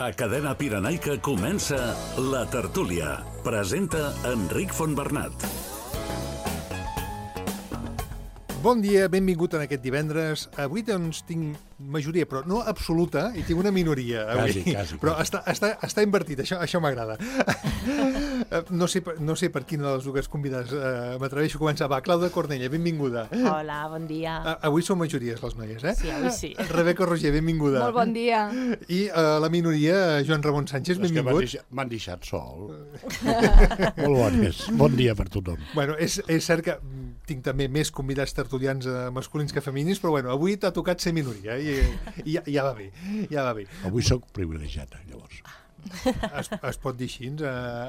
A Cadena Pirenaica comença La Tertúlia. Presenta Enric Fontbernat. Bon dia, benvingut en aquest divendres. Avui doncs tinc majoria, però no absoluta, i tinc una minoria avui. Quasi. Però està invertit, això m'agrada. No sé per quina de les dues convidades m'atreveixo a començar. Va, Clàudia Cornella, benvinguda. Hola, bon dia. Avui són majories les noies, eh? Sí, avui sí. Rebeca Roger, benvinguda. Molt bon dia. I la minoria, Joan Ramon Sánchez, benvingut. És que m'han deixat sol. Molt bones. Bon dia per tothom. Bueno, és cert que tinc també més convidats tertulians masculins que femenins, però bueno, avui t'ha tocat ser minoria i ja va bé, ja va bé. Avui sóc privilegiat, llavors. Es pot dir així.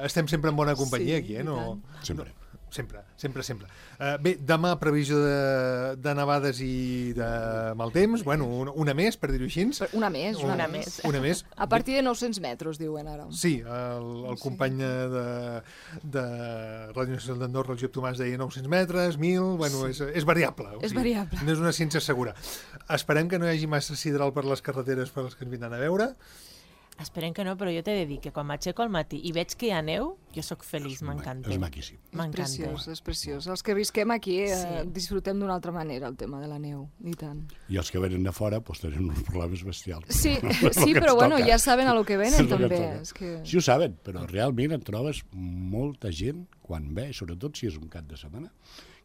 Estem sempre en bona companyia aquí, eh? No, Sempre. Sempre. Bé, demà previsió de nevades i de mal temps. Bueno, una més, per dir-ho així. Una més. Una més. A partir de 900 metres, diuen ara. Sí, el company de Ràdio Nacional d'Andorra, el Josep Tomàs, deia 900 metres, 1.000... Bueno, és variable. És variable. No és una ciència segura. Esperem que no hi hagi massa sidral per les carreteres per les que ens vindran a veure. Esperem que no, però jo t'he de dir que quan m'aixeco al matí i veig que hi ha neu, jo sóc feliç, m'encanta. És maquíssim. És preciós. Els que visquem aquí disfrutem d'una altra manera el tema de la neu, i tant. I els que venen de fora doncs, tenen uns problemes bestials. Sí, però bueno, ja saben a lo que venen, també. Sí, ho saben, però realment et trobes molta gent quan ve, sobretot si és un cap de setmana,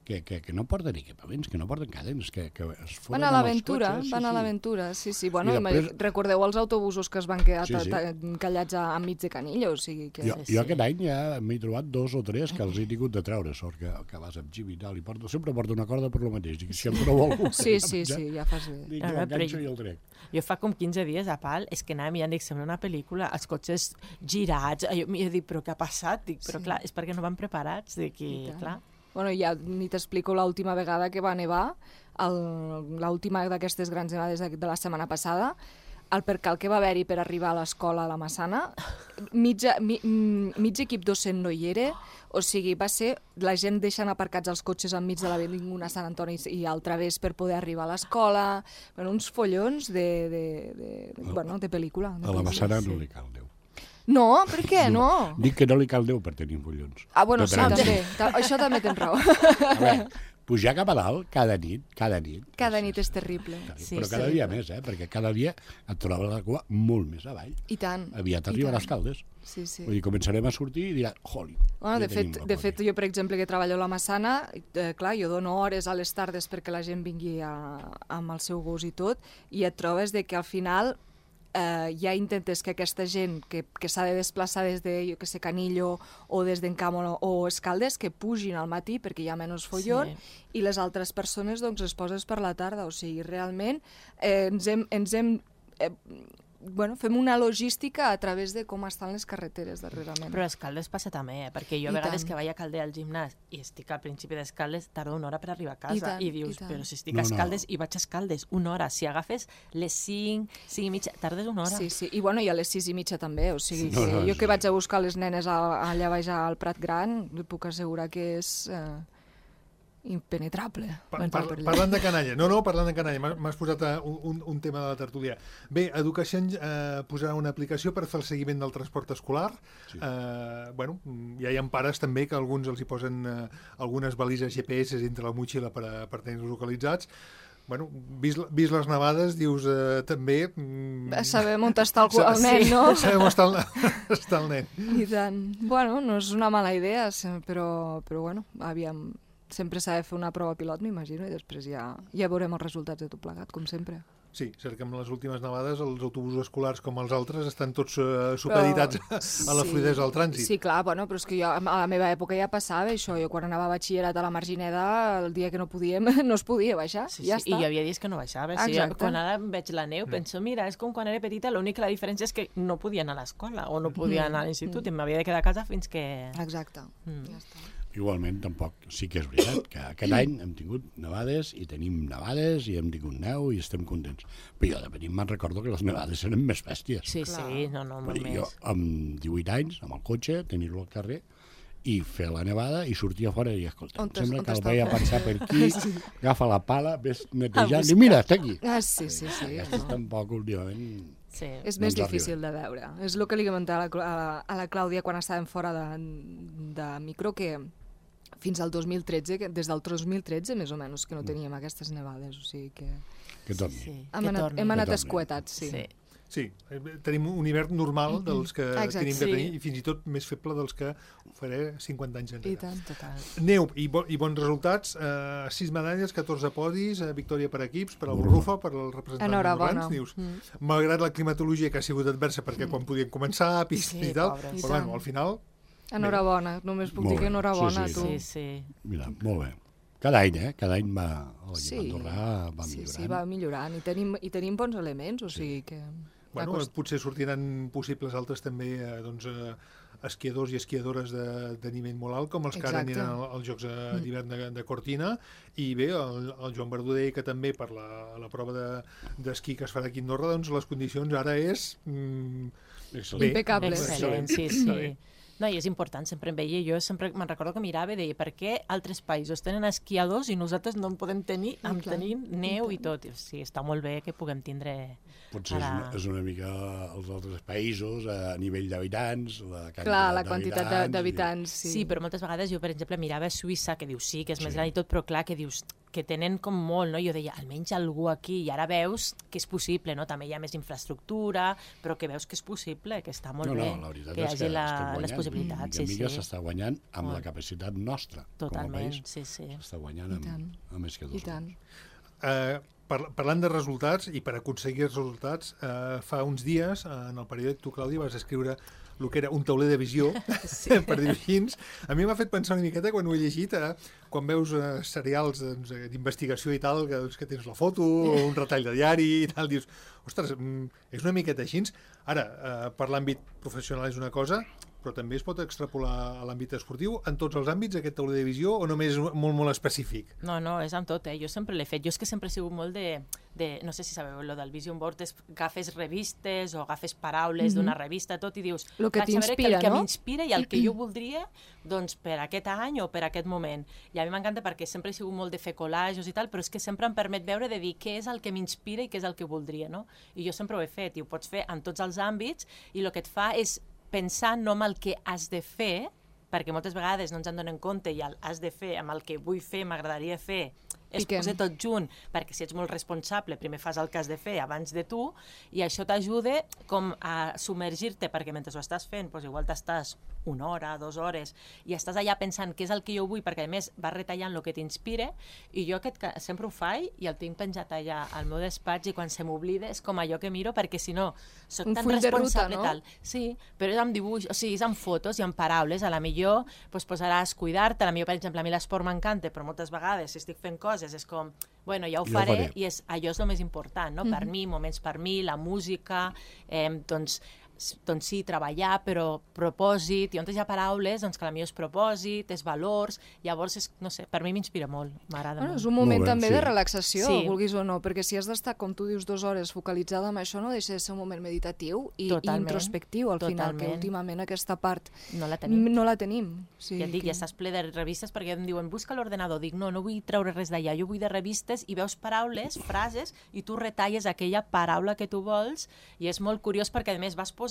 que no porten equipaments, que no porten cadenes, que es foren van a l'aventura, sí. Bueno, després... recordeu els autobusos que es van quedar encallats enmig de Canillo, o sigui que... Jo aquest any ja m'he trobat 2 o 3 que els he tingut de treure, sort que vas amb Jim i tal, i sempre porto una corda per lo mateix, dic, si em trobo algú... Sí, ja fas bé. Dic, jo enganxo i el trec. Jo fa com 15 dies a Pal, és que anàvem i ja dic, sembla una pel·lícula, els cotxes girats, jo dic, però què ha passat? Dic, però clar, és perquè no van preparats, dic, clar... Bueno, ja ni t'explico l'última vegada que va nevar, l'última d'aquestes grans nevades de la setmana passada, el percal que va haver-hi per arribar a l'escola a la Massana, mig equip docent no hi era, o sigui, va ser la gent deixant aparcats els cotxes enmig de l'avinguda Sant Antoni i al través per poder arribar a l'escola, bueno, uns follons de pel·lícula. A la Massana no li cal Déu. No, per què no? Dic que no li cal Déu per tenir collons. Bueno, sí, també. Això també tens raó. A veure, pujar cap a dalt cada nit. Cada nit és terrible. Però cada dia més, perquè cada dia et trobes la cua molt més avall. I tant. Aviat arribarà a Escaldes. Sí. Vull dir, començarem a sortir i diran, joli. Bueno, de fet, jo, per exemple, que treballo a la Massana, clar, jo dono hores a les tardes perquè la gent vingui amb el seu gos i tot, i et trobes que al final ja intentes que aquesta gent que s'ha de desplaçar des de, jo que sé, Canillo o des d'Encam o Escaldes, que pugin al matí perquè hi ha menys follon, i les altres persones doncs les poses per la tarda. O sigui, realment fem una logística a través de com estan les carreteres darrerament. Però a Escaldes passa també, perquè jo a vegades que vaig a Calder al gimnàs i estic al principi d'Escaldes, tardo una hora per arribar a casa i dius, però si estic a Escaldes i vaig a Escaldes una hora, si agafes les 5 i mitja, tardes una hora. Sí, i bueno, i a les 6 i mitja també, o sigui, jo que vaig a buscar les nenes allà baix al Prat Gran, puc assegurar que és... impenetrable. Parlant de canalla. Parlant de canalla. M'has posat un tema de la tertúlia. Bé, Educació posarà una aplicació per fer el seguiment del transport escolar. Sí. Ja hi ha pares també que alguns els hi posen algunes balises GPS entre la motxilla per tenir-los localitzats. Bueno, vist les nevades, dius també... Sabem on està el nen, no? Sabem on està el nen. I tant. Bueno, no és una mala idea, però bueno, aviam... Sempre s'ha de fer una prova pilot, m'imagino, i després ja veurem els resultats de tot plegat, com sempre. Sí, cert que amb les últimes nevades els autobusos escolars com els altres estan tots supeditats a la fluïdesa del trànsit. Sí, clar, bueno, però és que jo a la meva època ja passava això. Jo quan anava a batxillerat a la Margineda, el dia que no podíem, no es podia baixar, ja està. I hi havia dies que no baixava. Quan ara veig la neu, penso, mira, és com quan era petita, l'única diferència és que no podia anar a l'escola o no podia anar a l'institut i m'havia de quedar a casa fins que... Exacte, ja està. Igualment, tampoc. Sí que és veritat que aquest any hem tingut nevades i tenim nevades i hem tingut neu i estem contents. Però jo de petit me'n recordo que les nevades eren més bèsties. Sí, molt més. Jo amb 18 anys, amb el cotxe, tenir-lo al carrer i fer la nevada i sortir a fora i escolta, sembla que el veia passar per aquí, agafa la pala, ves netejant i mira, està aquí. Sí. Aquestes tampoc últimament... És més difícil de veure. És el que li comentava a la Clàudia quan estàvem fora de micro, que fins al 2013, des del 2013 més o menys, que no teníem aquestes nevades, o sigui que... Que torni. Hem anat escuetats, sí. Sí, tenim un hivern normal dels que tenim que tenir i fins i tot més feble dels que ho faré 50 anys enrere. I tant, total. Neu i bons resultats, 6 medalles, 14 podis, victòria per equips, per al Borrufa, per al representant Enhorabona. Dius, malgrat la climatologia que ha sigut adversa perquè quan podien començar, pista i tal, però bueno, al final... Enhorabona, només puc dir que enhorabona a tu. Mira, molt bé. Cada any, Cada any va millorant. Sí, va millorant. I tenim bons elements, o sigui que... Bueno, potser sortiran possibles altres també esquiadors i esquiadores de nivell molt alt, com els que ara aniran als Jocs d'hivern de Cortina, i bé, el Joan Verdader, que també per la prova d'esquí que es farà aquí a Andorra, doncs les condicions ara és... Impecables. Excel·lent, sí. No, i és important, sempre em veia, jo sempre me'n recordo que mirava i deia, per què altres països tenen esquiadors i nosaltres no en podem tenir, tenim neu i tot. Sí, està molt bé que puguem tindre... Potser és una mica els altres països a nivell d'habitants, la quantitat d'habitants, sí. Sí, però moltes vegades jo, per exemple, mirava Suïssa, que dius sí, que és més gran i tot, però clar, que dius que tenen com molt, no? Jo deia, almenys algú aquí, i ara veus que és possible, no? També hi ha més infraestructura, però que veus que és possible, que està molt bé, que hi hagi les possibilitats. I mica s'està guanyant amb la capacitat nostra, totalment, com a país. S'està guanyant amb més que dos. I tant. Parlant de resultats, i per aconseguir els resultats, fa uns dies, en el periòdic, tu, Clàudia, vas escriure el que era un tauler de visió, per dir-ho així. A mi m'ha fet pensar una miqueta, quan ho he llegit, quan veus serials d'investigació i tal, que tens la foto, o un retall de diari i tal, dius, ostres, és una miqueta així. Ara, per l'àmbit professional és una cosa, però també es pot extrapolar a l'àmbit esportiu en tots els àmbits, aquest tauler de visió, o només molt, molt específic? No, és amb tot, Jo sempre l'he fet. Jo és que sempre he sigut molt no sé si sabeu, lo del vision board, agafes revistes o agafes paraules d'una revista, tot, i dius, el que t'inspira, el que m'inspira i el que jo voldria, doncs, per aquest any o per aquest moment. I a mi m'encanta perquè sempre he sigut molt de fer collages i tal, però és que sempre em permet veure de dir què és el que m'inspira i què és el que voldria, no? I jo sempre ho he fet, i ho pots fer en tots els àmbits, i el que et fa és pensar no en el que has de fer, perquè moltes vegades no ens en donem compte i el has de fer amb el que vull fer, m'agradaria fer, es posa tot junt, perquè si ets molt responsable, primer fas el que has de fer abans de tu, i això t'ajuda com a submergir-te, perquè mentre ho estàs fent, doncs igual t'estàs 1 hora, 2 hores, i estàs allà pensant què és el que jo vull, perquè a més vas retallant el que t'inspira, i jo sempre ho faig, i el tinc penjat allà al meu despatx, i quan se m'oblida és com allò que miro, perquè si no, soc tan responsable, tal. Sí, però és amb dibuix, o sigui, és amb fotos i amb paraules, a la millor posaràs cuidar-te, a la millor, per exemple, a mi l'esport m'encanta, però moltes vegades, si estic fent coses, és com, bueno, ja ho faré, i allò és el més important, no? Per mi, moments per mi, la música, doncs sí, treballar, però propòsit, i on hi ha paraules, doncs que la millor és propòsit, és valors, llavors, no sé, per mi m'inspira molt, m'agrada molt. És un moment també de relaxació, vulguis o no, perquè si has d'estar, com tu dius, 2 hores focalitzada en això, no deixa de ser un moment meditatiu i introspectiu, al final, que últimament aquesta part no la tenim. Ja et dic, ja estàs ple de revistes, perquè em diuen, busca l'ordenador, dic, no vull treure res d'allà, jo vull de revistes, i veus paraules, frases, i tu retalles aquella paraula que tu vols, i és molt curiós perquè, a més, vas posant,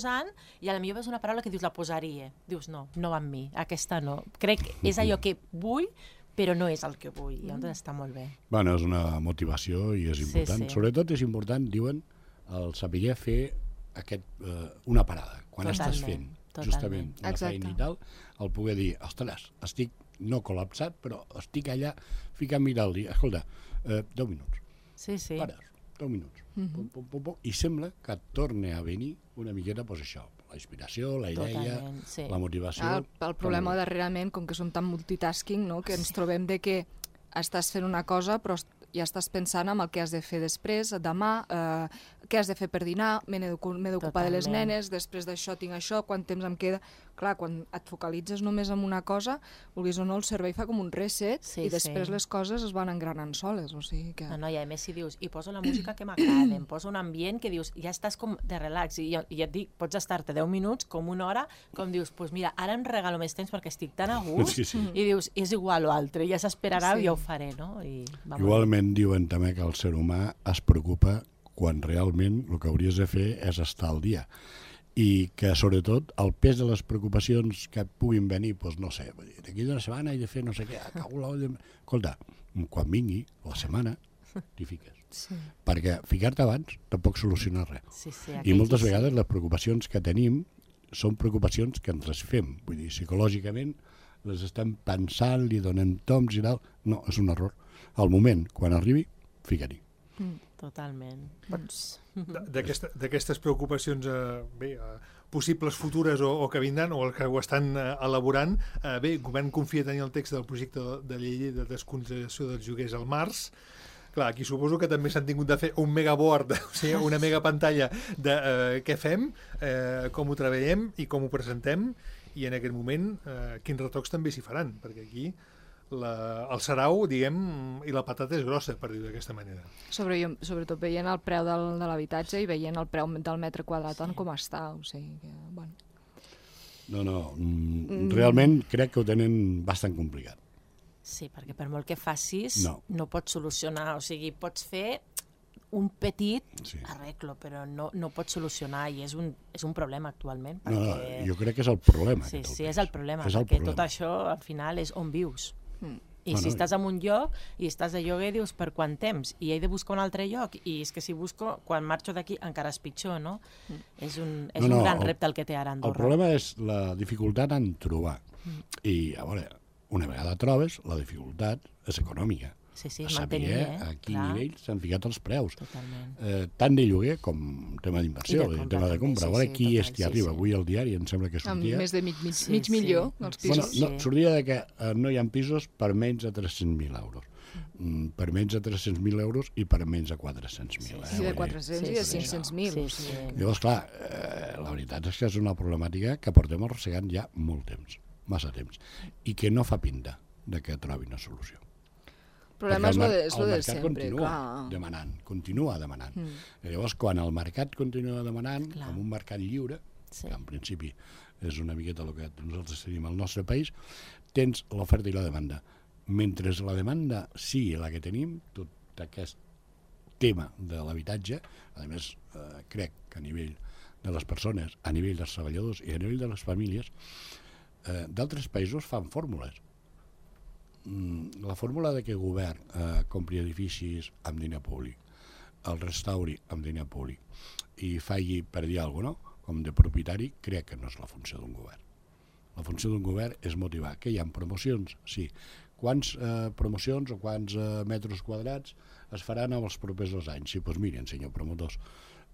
i a la millor veus una paraula que dius la posaria. Dius, no va amb mi, aquesta no. Crec que és allò que vull, però no és el que vull, i llavors està molt bé. Bueno, és una motivació i és important. Sobretot és important, diuen, el saber fer una parada, quan estàs fent justament una feina i tal, el poder dir, ostres, estic no col·lapsat, però estic allà ficant mirar el dia. Escolta, 10 minuts. Pares, 10 minuts. I sembla que et torna a venir una miqueta, doncs això, la inspiració, la idea, la motivació. El problema darrerament, com que som tan multitasking, no? Que ens trobem de que estàs fent una cosa, però ja estàs pensant en el que has de fer després, demà, què has de fer per dinar, m'he d'ocupar de les nenes, després d'això tinc això, quant temps em queda... Clar, quan et focalitzes només en una cosa, vulguis o no, el cervell fa com un reset i després les coses es van engranant soles, o sigui que... No, i a més si dius, i poso la música que m'agrada, em poso un ambient que dius, ja estàs com de relax, i et dic, pots estar-te 10 minuts, com 1 hora, com dius, doncs mira, ara em regalo més temps perquè estic tan a gust, i dius, és igual o altre, ja s'esperarà i ja ho faré, no? Igualment diuen també que el ser humà es preocupa quan realment el que hauries de fer és estar al dia. I que, sobretot, el pes de les preocupacions que puguin venir, doncs no sé, d'aquí d'una setmana he de fer no sé què, escolta, quan vingui la setmana, t'hi fiques. Sí. Perquè ficar-te abans tampoc soluciona res. Sí, I moltes vegades les preocupacions que tenim són preocupacions que ens les fem. Vull dir, psicològicament les estem pensant, li donem toms i tal. No, és un error. Al moment, quan arribi, fica-hi. Totalment. D'aquestes preocupacions possibles futures o que vindran o el que ho estan elaborant, bé, el govern confia tenir el text del projecte de llei de desconsideració dels lloguers al març. Clar, aquí suposo que també s'han tingut de fer un megaboard, o sigui, una megapantalla de què fem, com ho treballem i com ho presentem, i en aquest moment quins retocs també s'hi faran, perquè aquí el sarau, diguem, i la patata és grossa, per dir-ho d'aquesta manera. Sobretot veient el preu de l'habitatge i veient el preu del metre quadrat en com està, o sigui que, bueno. No, realment crec que ho tenen bastant complicat. Sí, perquè per molt que facis no pots solucionar, o sigui, pots fer un petit arreglo, però no pots solucionar i és un problema actualment. Perquè... Jo crec que és el problema. Sí, és el problema, perquè tot això al final és on vius. I si estàs en un lloc i estàs de lloguer, dius per quant temps? I he de buscar un altre lloc, i és que si busco, quan marxo d'aquí encara és pitjor, no? És un gran repte el que té ara Andorra. El problema és la dificultat en trobar. I, a veure, una vegada trobes, la dificultat és econòmica. Sí, saber a quin nivell s'han ficat els preus. Totalment. Tant de lloguer com tema d'inversió, tema de compra. A veure qui és qui arriba. Avui al diari em sembla que sortia... Amb més de mig milió, els pisos. Sortia que no hi ha pisos per menys de 300.000 euros. Per menys de 300.000 euros i per menys de 400.000. Sí, de 400 i de 500.000. Llavors, clar, la veritat és que és una problemàtica que portem arrossegant ja molt temps, massa temps, i que no fa pinta de que trobi una solució. El problema és lo de sempre, continua demanant. Llavors, quan el mercat continua demanant, amb un mercat lliure, que en principi és una miqueta el que nosaltres tenim al nostre país, tens l'oferta i la demanda. Mentre la demanda sigui la que tenim, tot aquest tema de l'habitatge, a més, crec que a nivell de les persones, a nivell dels treballadors i a nivell de les famílies, d'altres països fan fórmules. La fórmula de que el govern compri edificis amb diner públic, el restauri amb diner públic i faci per dir alguna cosa, com de propietari, crec que no és la funció d'un govern. La funció d'un govern és motivar. Que hi ha promocions? Sí. Quants promocions o quants metres quadrats es faran en els propers 2 anys? Sí, doncs miren, senyor promotors,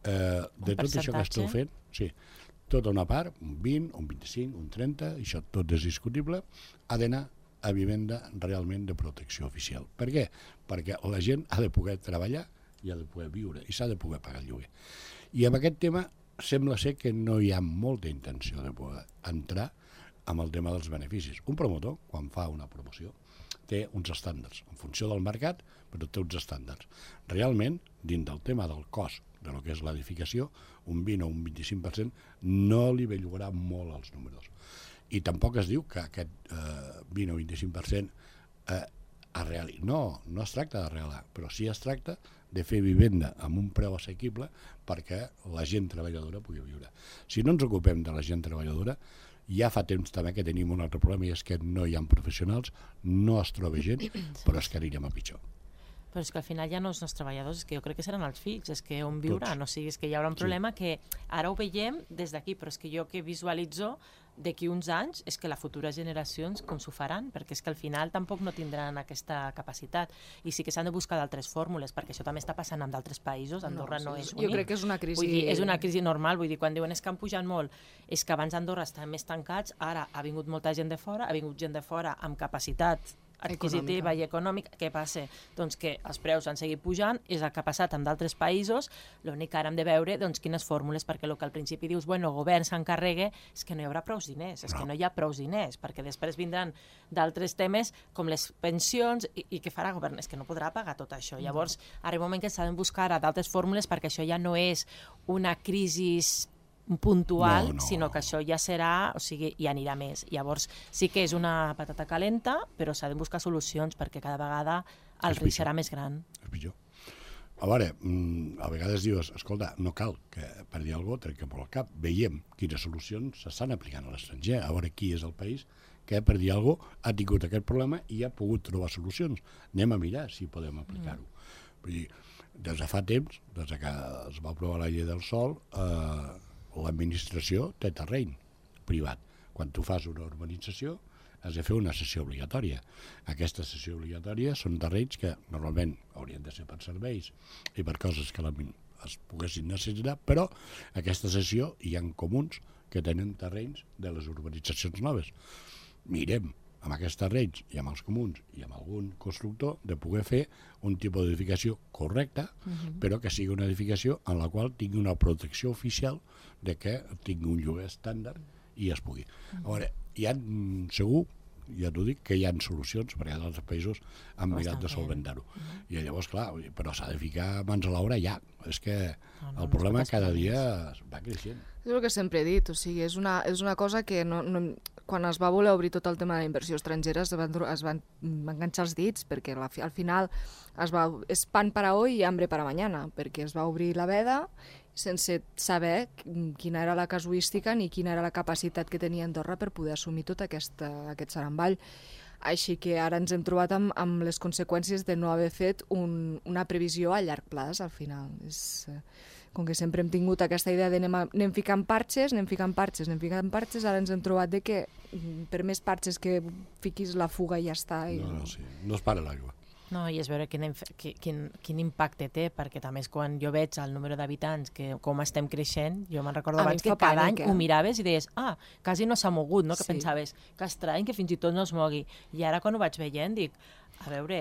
de tot això que esteu fent, sí, tota una part, un 20, un 25, un 30, això tot és discutible, ha d'anar a vivenda realment de protecció oficial. Per què? Perquè la gent ha de poder treballar i ha de poder viure i s'ha de poder pagar el lloguer. I amb aquest tema sembla ser que no hi ha molta intenció de poder entrar amb el tema dels beneficis. Un promotor, quan fa una promoció, té uns estàndards, en funció del mercat, però té uns estàndards. Realment, dins del tema del cost de lo que és l'edificació, un 20 o un 25% no li bellugarà molt als números. I tampoc es diu que aquest 20 o 25% no es tracta d'arreglar, però sí es tracta de fer vivenda amb un preu assequible perquè la gent treballadora pugui viure. Si no ens ocupem de la gent treballadora, ja fa temps també que tenim un altre problema i és que no hi ha professionals, no es troba gent, però és que anirem a pitjor. Però és que al final ja no són els treballadors, és que jo crec que seran els fills, és que on viuran, o sigui, és que hi haurà un problema que ara ho veiem des d'aquí, però és que jo que visualitzo d'aquí uns anys és que les futures generacions com s'ho faran, perquè és que al final tampoc no tindran aquesta capacitat i sí que s'han de buscar d'altres fórmules, perquè això també està passant en d'altres països, Andorra no és únic. Jo crec que és una crisi... Vull dir, és una crisi normal, vull dir, quan diuen és que han pujat molt, és que abans Andorra estaven més tancats, ara ha vingut molta gent de fora, ha vingut gent de fora amb capacitat adquisitiva i econòmica. Què passa? Doncs que els preus han seguit pujant, és el que ha passat amb d'altres països, l'únic que ara hem de veure quines fórmules, perquè el que al principi dius, bueno, el govern s'encarrega, és que no hi haurà prous diners, és que no hi ha prous diners, perquè després vindran d'altres temes com les pensions i què farà el govern? És que no podrà pagar tot això. Llavors, arriba un moment que s'ha de buscar d'altres fórmules perquè això ja no és una crisi puntual, sinó que això ja serà, o sigui, ja anirà més. Llavors, sí que és una patata calenta, però s'ha de buscar solucions perquè cada vegada el risc serà més gran. És pitjor. a veure, a vegades dius, escolta, no cal que per dir alguna cosa trenqui pel cap. Veiem quines solucions s'estan aplicant a l'estranger, a veure qui és el país que per dir alguna cosa ha tingut aquest problema i ha pogut trobar solucions. Anem a mirar si podem aplicar-ho. Vull dir, des de fa temps, des que es va aprovar la llei del sòl, l'administració té terreny privat. Quan tu fas una urbanització has de fer una cessió obligatòria. Aquesta cessió obligatòria són terrenys que normalment haurien de ser per serveis i per coses que es poguessin necessitar, però aquesta cessió hi ha comuns que tenen terrenys de les urbanitzacions noves. Mirem amb aquests terrenys i amb els comuns i amb algun constructor de poder fer un tipus d'edificació correcta, però que sigui una edificació en la qual tingui una protecció oficial de que tingui un lloguer estàndard i es pugui. A veure, hi ha segur, ja t'ho dic, que hi ha solucions, perquè altres països han mirat de solventar-ho. I llavors, clar, però s'ha de ficar mans a l'obra ja. És que el problema cada dia va creixent. És el que sempre he dit, o sigui, és una cosa que quan es va voler obrir tot el tema de la inversió estrangera es van enganxar els dits, perquè al final és pan para hoy i hambre para mañana, perquè es va obrir la veda sense saber quina era la casuística ni quina era la capacitat que tenia Andorra per poder assumir tot aquest saramball. Així que ara ens hem trobat amb les conseqüències de no haver fet una previsió a llarg plaç, al final. Com que sempre hem tingut aquesta idea de anem ficant parxes, ara ens hem trobat de que per més parxes que fiquis la fuga i ja està. No es para l'aigua. No, i és veure quin impacte té, perquè també és quan jo veig el número d'habitants, com estem creixent, jo me'n recordo abans que cada any ho miraves i deies, quasi no s'ha mogut, no? Que pensaves que estrany que fins i tot no es mogui. I ara quan ho vaig veient dic, a veure,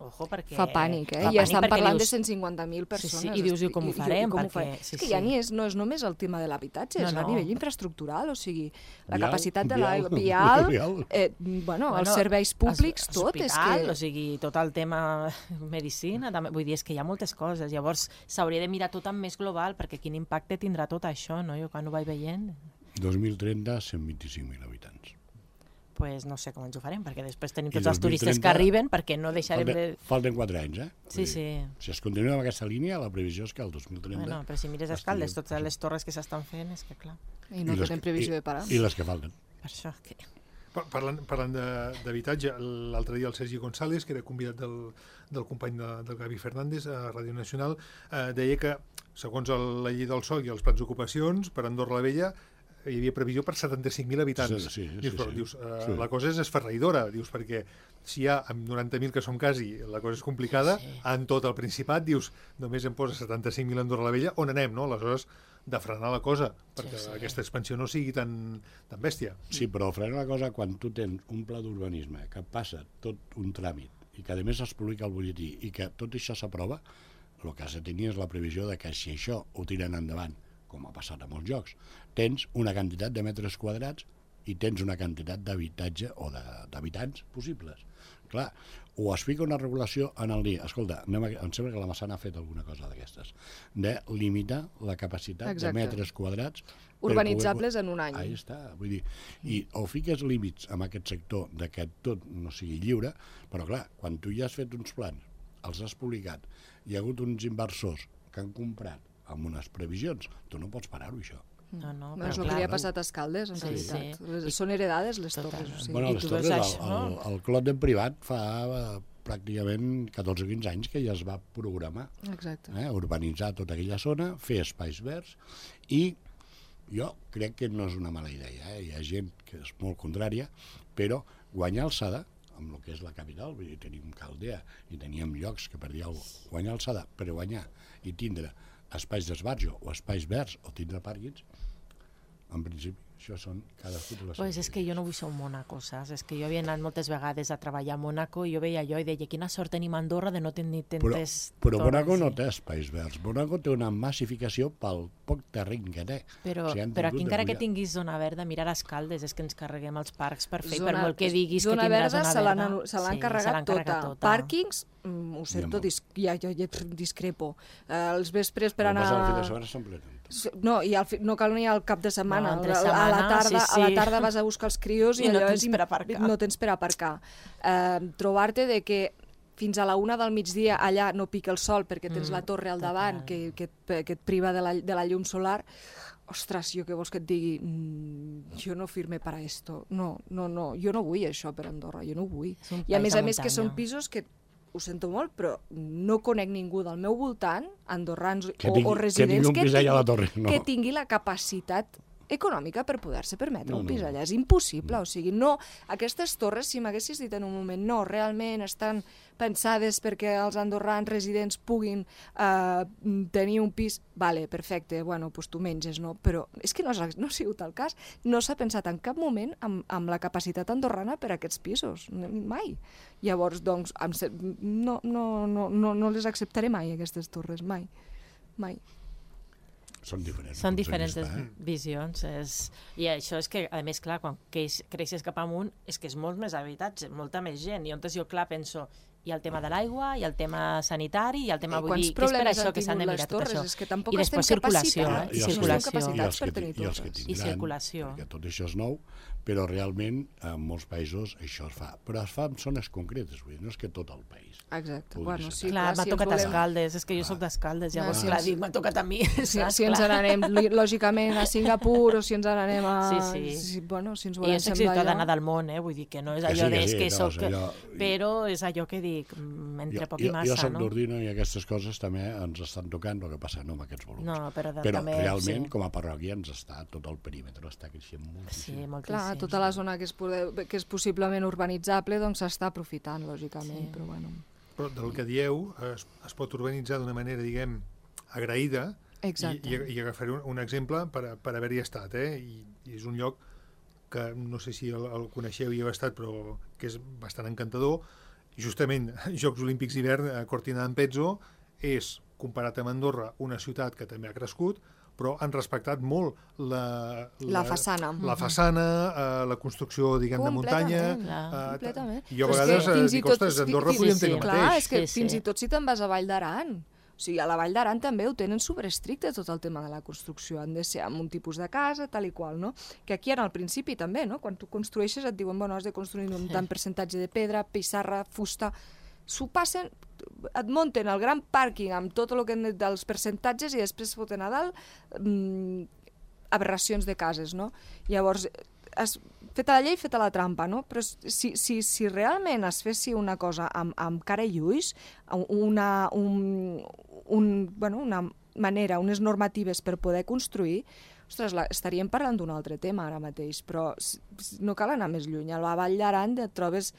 ojo, perquè... Fa pànic, I estan parlant de 150.000 persones. Sí, i dius, com ho farem? És que ja no és només el tema de l'habitatge, és a nivell infraestructural, o sigui, la capacitat de l'aigua, vial, els serveis públics, tot. Hospital, o sigui, tot el tema medicina, vull dir, és que hi ha moltes coses. Llavors, s'hauria de mirar tot amb més global, perquè quin impacte tindrà tot això, no? Jo quan ho vaig veient... 2030, 125.000 habitants. Pues no sé com ens ho farem, perquè després tenim tots els turistes que arriben, perquè no deixarem de... Falten 4 anys, Sí. Si es continua amb aquesta línia, la previsió és que el 2030... Bueno, però si mires Escaldes, totes les torres que s'estan fent, és que clar... I no tenen previsió de parar. I les que falten. Per això que... Parlant d'habitatge, l'altre dia el Sergi González, que era convidat del company del Gavi Fernández a Ràdio Nacional, deia que, segons la llei del sòl i els plans d'ocupacions, per Andorra la Vella hi havia previsió per 75.000 habitants. Dius, la cosa és esferraïdora, perquè si hi ha amb 90.000 que som quasi, la cosa és complicada, en tot el Principat, dius, només em posa 75.000 a Andorra la Vella, on anem, no? Aleshores, de frenar la cosa, perquè aquesta expansió no sigui tan bèstia. Sí, però frenar la cosa quan tu tens un pla d'urbanisme que passa tot un tràmit i que a més es publica al butlletí i que tot això s'aprova, el que has de tenir és la previsió de que si això ho tiren endavant, com ha passat a molts llocs, tens una quantitat de metres quadrats i tens una quantitat d'habitatge o d'habitants possibles. Clar, o es fica una regulació en el dia, escolta, em sembla que la Massana ha fet alguna cosa d'aquestes, de limitar la capacitat de metres quadrats urbanitzables en un any. Ahí està, vull dir, i o fiques límits en aquest sector de que tot no sigui lliure, però clar, quan tu ja has fet uns plans, els has publicat, hi ha hagut uns inversors que han comprat amb unes previsions, tu no pots parar-ho, això. No, però és el que li ha passat a Escaldes, en realitat. Són heredades, les torres. Bueno, les torres, el Clot en privat fa pràcticament 14 o 15 anys que ja es va programar. Urbanitzar tota aquella zona, fer espais verds, i jo crec que no és una mala idea. Hi ha gent que és molt contrària, però guanyar alçada, amb el que és la capital, vull dir, tenim Caldea i teníem llocs que per dir alguna cosa, guanyar alçada per guanyar i tindre espais d'esbarjo o espais verds o tindre pàrquings, en principi, això són cadascú de les pues és que jo no vull ser un Mónaco, saps? És que jo havia anat moltes vegades a treballar a Mónaco i jo veia allò i deia, quina sort tenim a Andorra de no tenir tantes... Però Mónaco no té espais verds. Mónaco té una massificació pel poc terreny que té. Però aquí encara que tinguis zona verda, mirar Escaldes, és que ens carreguem els parcs per fer, per molt que diguis que tindràs zona verda. Se l'han carregat tota. Pàrquings, ho sento, ja discrepo. Els vespres per anar... El fin de setmana s'ompleten. No, no cal ni al cap de setmana. A la tarda vas a buscar els crios i no tens per aparcar. No tens per aparcar. Trobar-te de que fins a la 1 del migdia allà no pica el sol perquè tens la torre al davant que et priva de la llum solar. Ostres, jo què vols que et digui? Jo no firme per a esto. No, jo no vull això per Andorra, jo no ho vull. I a més que són pisos que, ho sento molt, però no conec ningú del meu voltant, andorrans o residents, que tingui la capacitat econòmica per poder-se permetre un pis allà. És impossible, o sigui, no, aquestes torres, si m'haguessis dit en un moment, no, realment estan pensades perquè els andorrans residents puguin tenir un pis, vale, perfecte, bueno, doncs tu menges, no? Però és que no ha sigut el cas. No s'ha pensat en cap moment amb la capacitat andorrana per a aquests pisos, mai. Llavors, doncs, no les acceptaré mai, aquestes torres, mai. Són diferents. Són diferents visions. I això és que, a més, clar, quan creixes cap amunt, és que és molt més habitatge, molta més gent. I llavors jo, clar, penso, hi ha el tema de l'aigua, hi ha el tema sanitari, hi ha el tema, vull dir, que és per això que s'han de mirar tot això. I després circulació, I circulació. Perquè tot això és nou, però realment en molts països això es fa. Però es fa en zones concretes, vull dir, no és que tot el país. Exacte. Bueno, sí, clar, m'ha tocat Escaldes, és que jo soc d'Escaldes, llavors, clar, dic, m'ha tocat a mi. Si ens n'anem, lògicament, a Singapur, o si ens n'anem a... Bueno, si ens volem semblar allò... I és ciutadana del món, vull dir, que no és allò que soc... Però és allò que dic, entre poc i massa, no? Jo soc d'Ordino i aquestes coses també ens estan tocant, el que passa no amb aquests volums. No, però realment, com a parròquia, ens està tot el perímetre, està creixent moltíssim. Sí, moltíssim. Clar, tota la zona que és possiblement urbanitzable, doncs s'està aprofitant, lògicament, però bueno... Però del que dieu es pot urbanitzar d'una manera, diguem, agraïda. Exacte. I agafaré un exemple per haver-hi estat, i és un lloc que no sé si el coneixeu i heu estat, però que és bastant encantador. Justament, Jocs Olímpics d'hivern a Cortina d'Ampezzo és, comparat amb Andorra, una ciutat que també ha crescut, però han respectat molt la façana. La façana, la construcció, diguem, de muntanya. Completament. I jo a vegades dic, ostres, Andorra podríem tenir el mateix. Clar, és que fins i tot si te'n vas a Vall d'Aran, o sigui, a la Vall d'Aran també ho tenen superestricte tot el tema de la construcció, han de ser amb un tipus de casa, tal i qual, no? Que aquí al principi també, no? Quan tu construeixes et diuen, bueno, has de construir un tant percentatge de pedra, pissarra, fusta, s'ho passen, et munten el gran pàrquing amb tot el que dels percentatges i després foten a dalt aberracions de cases, no? Llavors, feta la llei, feta la trampa, no? Però si realment es fessi una cosa amb cara i ulls, una manera, unes normatives per poder construir, ostres, estaríem parlant d'un altre tema ara mateix, però no cal anar més lluny. A la Vall d'Aran et trobes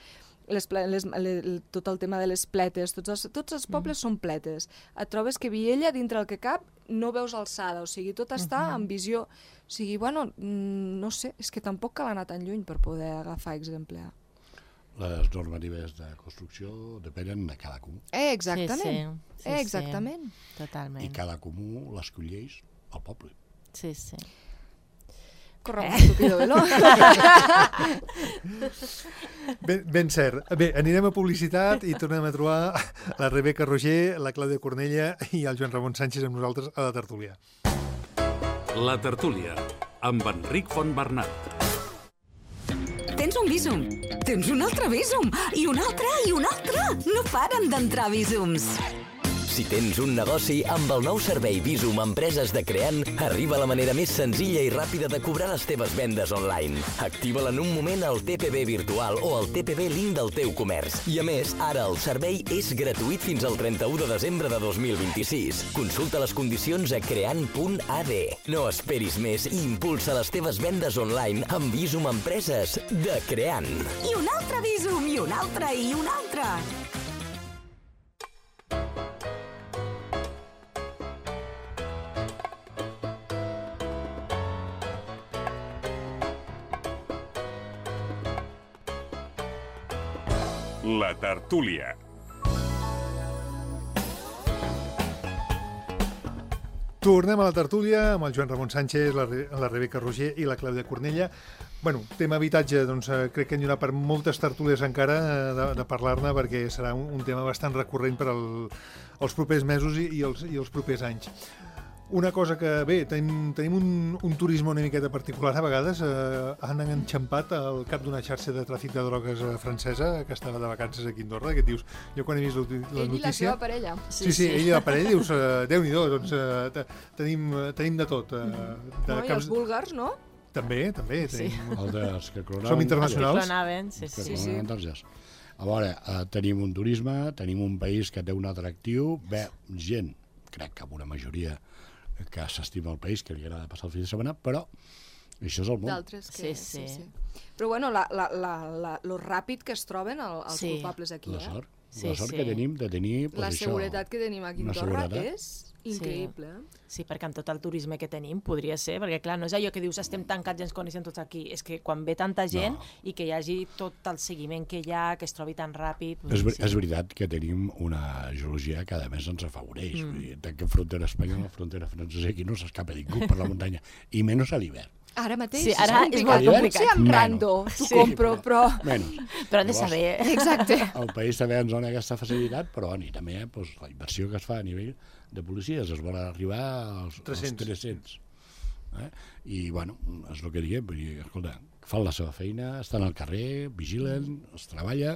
tot el tema de les pletes, tots els pobles són pletes. Et trobes que Viella, dintre el que cap, no veus alçada, o sigui, tot està en visió. O sigui, bueno, no sé, és que tampoc cal anar tan lluny per poder agafar exemple. Les normatives de construcció depenen de cada comú. Exactament. Exactament. Totalment. I cada comú l'escolleix el poble. Sí. Corre un tupido velo. Ben cert. Bé, anirem a publicitat i tornem a trobar la Rebeca Roger, la Clàudia Cornella i el Joan Ramon Sánchez amb nosaltres a la tertúlia. La tertúlia, amb Enric Fontbernat. Tens un Bizum, tens un altre Bizum, i un altre, i un altre. No paren d'entrar Bizums. Si tens un negoci, amb el nou servei Bizum Empreses de Creant, arriba la manera més senzilla i ràpida de cobrar les teves vendes online. Activa-la en un moment al TPB virtual o al TPB Link del teu comerç. I a més, ara el servei és gratuït fins al 31 de desembre de 2026. Consulta les condicions a creant.ad. No esperis més i impulsa les teves vendes online amb Bizum Empreses de Creant. I un altre Bizum, i un altre, i un altre. La tertúlia. Tornem a la tertúlia amb el Joan Ramon Sánchez, la Rebeca Roger i la Clàudia Cornella. Bueno, tema habitatge, doncs crec que hi haurà per moltes tertúlies encara de parlar-ne, perquè serà un tema bastant recurrent per als propers mesos i els propers anys. Una cosa que, bé, tenim un turisme una miqueta particular a vegades. Han enxampat el cap d'una xarxa de tràfic de drogues francesa que estava de vacances aquí a Andorra, que et dius, jo quan he vist la notícia... Ell i la seva parella. Sí, ell i la parella, dius, Déu-n'hi-do, doncs tenim de tot. I els búlgars, no? També. Sí. Els que clonaven. Som internacionals. Els que clonaven, sí. A veure, tenim un turisme, tenim un país que té un atractiu, gent, crec que amb una majoria que s'estima el país, que li agrada passar el fi de setmana, però això és el món. D'altres que... Sí. Però bueno, lo ràpid que es troben els culpables aquí, La sort que tenim de tenir... La seguretat que tenim aquí a Andorra és increïble. Sí, perquè amb tot el turisme que tenim podria ser, perquè clar, no és allò que dius estem tancats i ens coneixem tots aquí, és que quan ve tanta gent i que hi hagi tot el seguiment que hi ha, que es trobi tan ràpid... És veritat que tenim una geologia que a més ens afavoreix. Tanquem frontera espanyola, frontera francesa, aquí no s'escapa ningú per la muntanya, i menys a l'hivern. Ara mateix és molt complicat. Potser amb rando t'ho compro, però... Però han de saber. Exacte. El país també ens dona aquesta facilitat, però i també la inversió que es fa a nivell de policies es vol arribar als 300. I, és el que diguem, escolta, fan la seva feina, estan al carrer, vigilen, es treballa,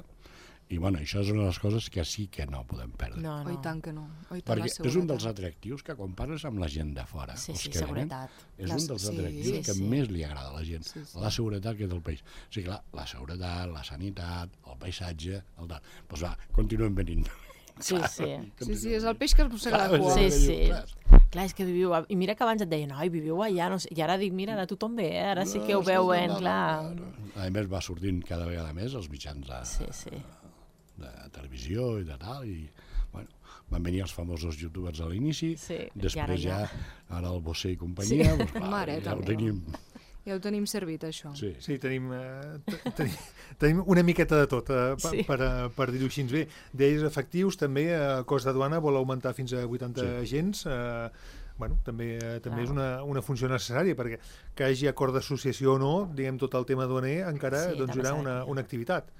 i això és una de les coses que sí que no podem perdre. No. I tant que no. Perquè és un dels atractius que quan parles amb la gent de fora, seguretat. És un dels atractius que més li agrada a la gent, la seguretat que és del país. O sigui, clar, la seguretat, la sanitat, el paisatge, doncs continuem venint. Sí, és el peix que es mossega la cua. Sí. Clar, és que viviu... I mira que abans et deien, viviu allà, no sé. I ara dic, mira, ara tothom ve, ara sí que ho veuen, clar. A més, va sortint cada vegada més els mitjans de televisió i de tal, i van venir els famosos youtubers a l'inici, després ja ara el Bosé i companyia, ja ho tenim servit, això. Sí, tenim una miqueta de tot, per dir-ho així. Bé, d'ells efectius, també cos de duana vol augmentar fins a 80 agents. També és una funció necessària, perquè que hi hagi acord d'associació o no, diguem, tot el tema duaner encara hi haurà una activitat.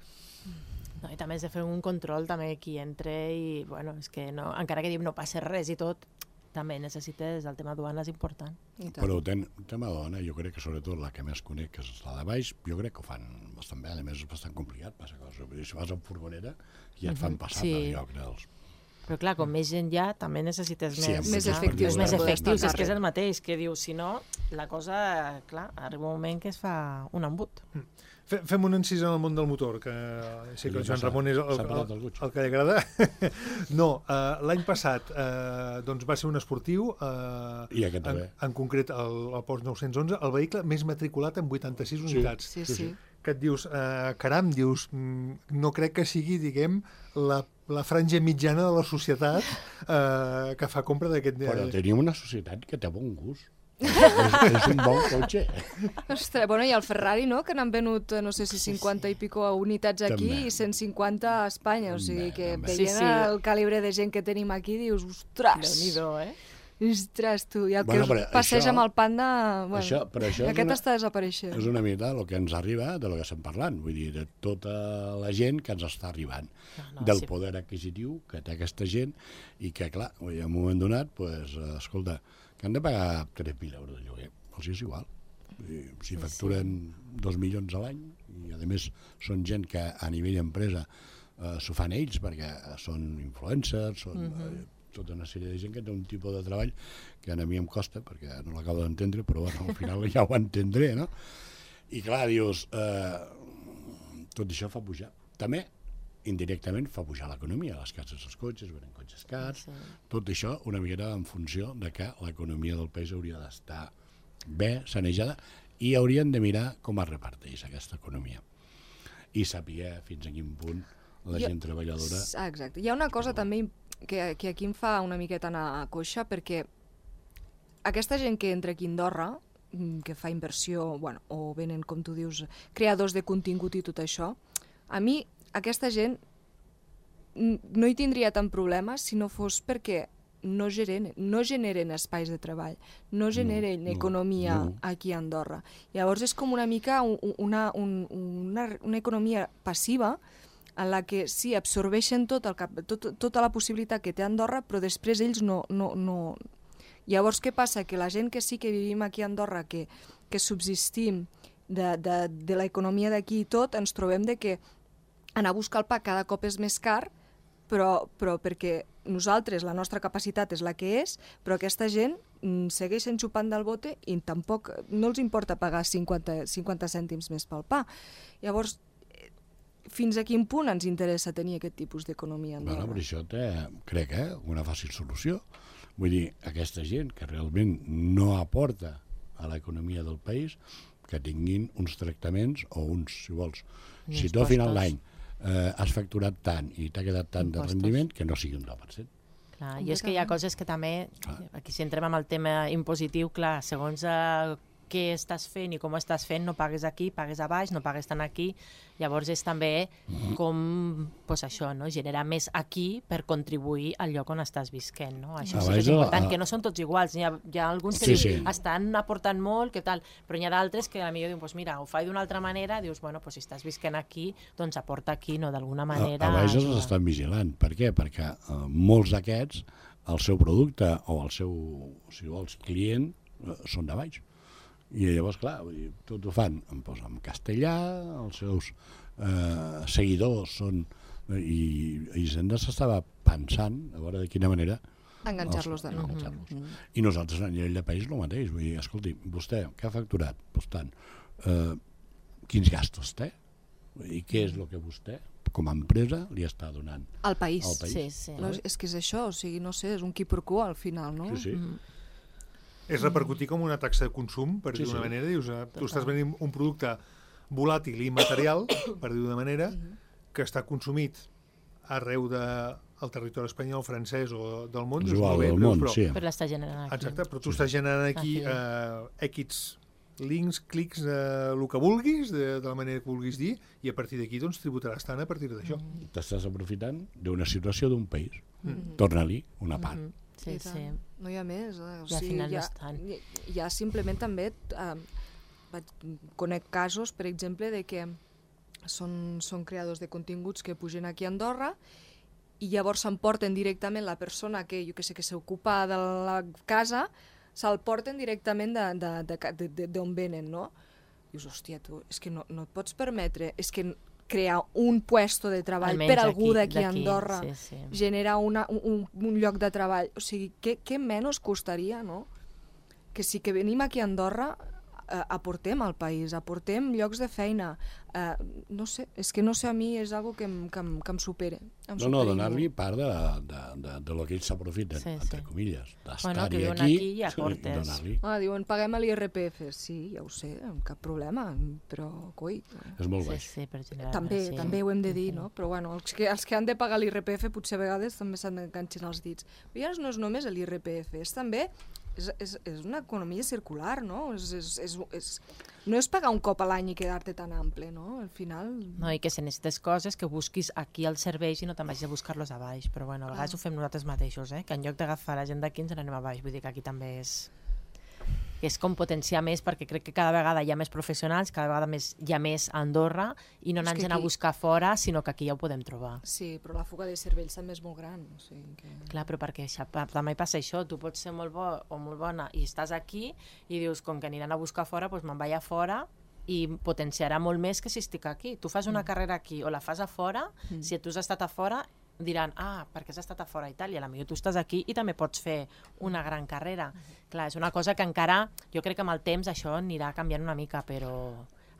I també has de fer un control també qui entra i, és que encara que no passa res i tot, també necessites el tema duana, és important. Però el tema duana, jo crec que sobretot la que més conec, que és la de baix, jo crec que ho fan bastant bé, a més és bastant complicat, passa cosa. Si vas amb furgoneta ja et fan passar per lloc dels... Però clar, com més gent hi ha, també necessites més efectius. És que és el mateix, que dius, si no, la cosa, clar, arriba un moment que es fa un embut. Fem un encís en el món del motor, que sé que el Joan Ramon és el que li agrada. No, l'any passat va ser un esportiu, en concret el Porsche 911, el vehicle més matriculat amb 86 unitats. Sí. Que et dius, caram, no crec que sigui, diguem, la franja mitjana de la societat que fa compra d'aquest... Però tenim una societat que té bon gust. És un bon cotxe. Ostres, i el Ferrari, no?, que n'han venut, no sé si 50 i pico unitats aquí i 150 a Espanya, o sigui que veient el calibre de gent que tenim aquí, dius, ostres! Déu-n'hi-do, Ostres, tu, i el que passeja amb el Panda... Aquest està desapareixent. És una mica el que ens arriba de lo que estem parlant, vull dir, de tota la gent que ens està arribant, del poder adquisitiu que té aquesta gent, i que, clar, en un moment donat, escolta, que han de pagar 3.000 euros de lloguer, els és igual. Si facturen 2 milions a l'any, i a més són gent que a nivell empresa s'ho fan ells, perquè són influencers, són tota una sèrie de gent que té un tipus de treball que a mi em costa, perquè no l'acabo d'entendre, però al final ja ho entendré, no? I clar, dius, tot això fa pujar. També indirectament fa pujar l'economia, les cases dels cotxes, venen cotxes cars, tot això una miqueta en funció de que l'economia del país hauria d'estar bé, sanejada, i haurien de mirar com es reparteix aquesta economia i saber fins a quin punt la gent treballadora... Exacte. Hi ha una cosa també que aquí em fa una miqueta anar a coixa, perquè aquesta gent que entra aquí a Andorra, que fa inversió, o venen, com tu dius, creadors de contingut i tot això, a mi aquesta gent no hi tindria tant problema si no fos perquè no generen espais de treball, no generen economia aquí a Andorra. Llavors és com una mica una economia passiva en la que sí, absorbeixen tota la possibilitat que té Andorra, però després ells no... Llavors, què passa? Que la gent que sí que vivim aquí a Andorra, que subsistim de l'economia d'aquí i tot, ens trobem de que anar a buscar el pa cada cop és més car, però perquè nosaltres, la nostra capacitat és la que és, però aquesta gent segueix enxupant del bote i tampoc no els importa pagar 50 cèntims més pel pa. Llavors, fins a quin punt ens interessa tenir aquest tipus d'economia a Andorra? Bueno, per això crec, una fàcil solució. Vull dir, aquesta gent que realment no aporta a l'economia del país, que tinguin uns tractaments o uns, si vols, si tu al final l'any has facturat tant i t'ha quedat tant de rendiment, que no sigui un 10%. Clar, i és que hi ha coses que també, aquí si entrem amb el tema impositiu, clar, segons què estàs fent i com ho estàs fent, no pagues aquí, pagues a baix, no pagues tant aquí, llavors és també com, doncs això, no? Generar més aquí per contribuir al lloc on estàs visquent, no? Això sí que és important, que no són tots iguals, hi ha alguns que estan aportant molt, què tal, però n'hi ha d'altres que potser diuen, doncs mira, ho faig d'una altra manera, dius, bueno, doncs si estàs visquent aquí, doncs aporta aquí, no? D'alguna manera... A baix els estan vigilant, per què? Perquè molts d'aquests, el seu producte o el seu, si vols, client, són de baix. I llavors, clar, tot ho fan en castellà, els seus seguidors són... I Hisenda s'estava pensant, a veure de quina manera... Enganxar-los de nou. I nosaltres, a nivell de país, el mateix. Vull dir, escolti, vostè, què ha facturat? Doncs tant, quins gastos té? I què és el que vostè, com a empresa, li està donant al país? Sí. És que és això, o sigui, no sé, és un qui per quo al final, no? Sí. És repercutir com una taxa de consum, per dir d'una manera. Dius, tu estàs venint un producte volàtil i immaterial, per dir d'una manera, que està consumit arreu del territori espanyol, francès o del món. Però l'està generant aquí. Exacte, però tu estàs generant aquí X links, clics, el que vulguis, de la manera que vulguis dir, i a partir d'aquí doncs tributaràs tant a partir d'això. T'estàs aprofitant d'una situació d'un país. Torna-li una part. Sí. No hi ha més. I al final no és tant. Hi ha simplement també... Conec casos, per exemple, de que són creadors de continguts que pugen aquí a Andorra i llavors s'emporten directament la persona que, jo que sé, que s'ocupa de la casa, se'l porten directament d'on venen, no? Dius, hòstia, tu, és que no et pots permetre... És que crear un puesto de treball per algú d'aquí a Andorra, generar un lloc de treball. O sigui, què menys costaria, no? Que si que venim aquí a Andorra aportem al país, aportem llocs de feina. No sé, és que no sé, a mi és algo que em supera. No, donar-li part de lo que ells s'aprofiten, entre comilles, d'estar-hi aquí i aportes. Diuen, paguem l'IRPF. Sí, ja ho sé, cap problema, però, coi... És molt baix. També ho hem de dir, no? Però, bueno, els que han de pagar l'IRPF potser a vegades també s'han d'enganxar els dits. Però ja no és només l'IRPF, és també... És una economia circular, no? No és pagar un cop a l'any i quedar-te tan ample, no? Al final... No, i que si necessites coses que busquis aquí als serveis i no te'n vagis a buscar-los a baix. Però bueno, a vegades ho fem nosaltres mateixos, que en lloc d'agafar la gent d'aquí ens n'anem a baix. Vull dir que aquí també és com potenciar més, perquè crec que cada vegada hi ha més professionals, cada vegada hi ha més a Andorra, i no anar-nos a buscar fora, sinó que aquí ja ho podem trobar. Sí, però la fuga de cervells també és molt gran. O sigui que... Clar, però perquè també passa això, tu pots ser molt bo o molt bona i estàs aquí i dius, com que aniran a buscar fora, doncs me'n vaig a fora i potenciarà molt més que si estic aquí. Tu fas una carrera aquí o la fas a fora, si tu has estat a fora, diran, perquè has estat a fora a Itàlia, potser tu estàs aquí i també pots fer una gran carrera. Clar, és una cosa que encara, jo crec que amb el temps això anirà canviant una mica, però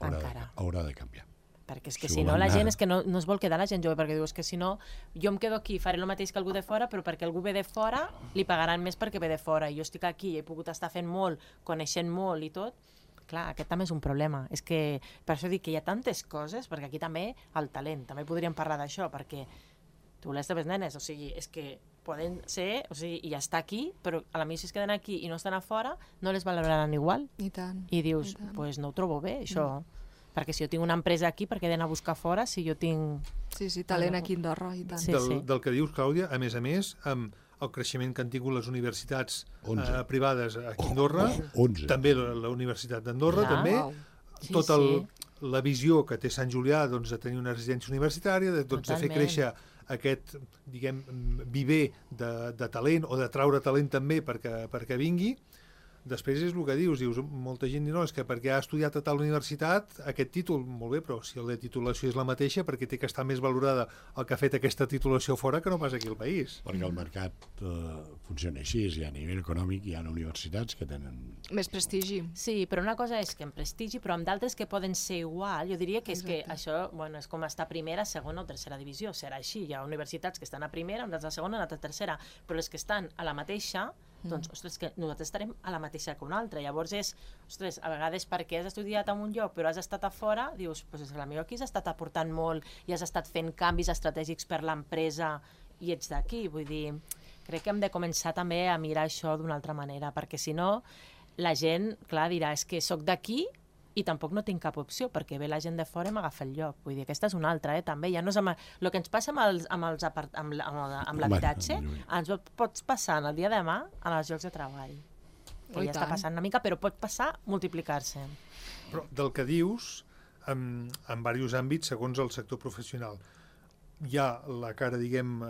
encara. Haurà de canviar. Perquè és que si no, la gent és que no es vol quedar la gent jove, perquè dius que si no, jo em quedo aquí, faré el mateix que algú de fora, però perquè algú ve de fora, li pagaran més perquè ve de fora, i jo estic aquí i he pogut estar fent molt, coneixent molt i tot. Clar, aquest també és un problema. És que, per això dic que hi ha tantes coses, perquè aquí també el talent, també podríem parlar d'això, perquè tu les teves nenes, o sigui, és que poden ser, o sigui, i ja està aquí, però a la mi si es queden aquí i no estan a fora, no les valoraran igual. I tant. I dius, doncs no ho trobo bé, això. Perquè si jo tinc una empresa aquí, per què he d'anar a buscar fora si jo tinc... Sí, talent aquí a Andorra, i tant. Del que dius, Clàudia, a més, amb el creixement que han tingut les universitats privades aquí a Andorra, també la Universitat d'Andorra, també, tota la visió que té Sant Julià de tenir una residència universitària, de fer créixer aquest, diguem, viver de talent o de traure talent també perquè vingui. Després és el que dius, molta gent diu, no, és que perquè ha estudiat a tal universitat aquest títol, molt bé, però si la titulació és la mateixa, perquè té que estar més valorada el que ha fet aquesta titulació fora que no pas aquí al país. Perquè el mercat funciona així, i a nivell econòmic hi ha universitats que tenen... Més prestigi. Sí, però una cosa és que en prestigi, però amb d'altres que poden ser igual, jo diria que és que això, bueno, és com estar a primera, segona o tercera divisió, serà així, hi ha universitats que estan a primera, unes a segona, unes a tercera, però les que estan a la mateixa, doncs, ostres, que nosaltres estarem a la mateixa que una altra. Llavors és, ostres, a vegades perquè has estudiat en un lloc però has estat a fora, dius, doncs és que potser aquí has estat aportant molt i has estat fent canvis estratègics per l'empresa i ets d'aquí. Vull dir, crec que hem de començar també a mirar això d'una altra manera, perquè si no, la gent, clar, dirà, és que sóc d'aquí i tampoc no tinc cap opció, perquè ve la gent de fora i m'agafa el lloc. Vull dir, aquesta és una altra, també. Ja no és el que ens passa amb l'habitatge, ens pot passar el dia de demà en els llocs de treball. Que ja està passant una mica, però pot passar multiplicar-se. Però del que dius, en diversos àmbits, segons el sector professional, hi ha la cara, diguem,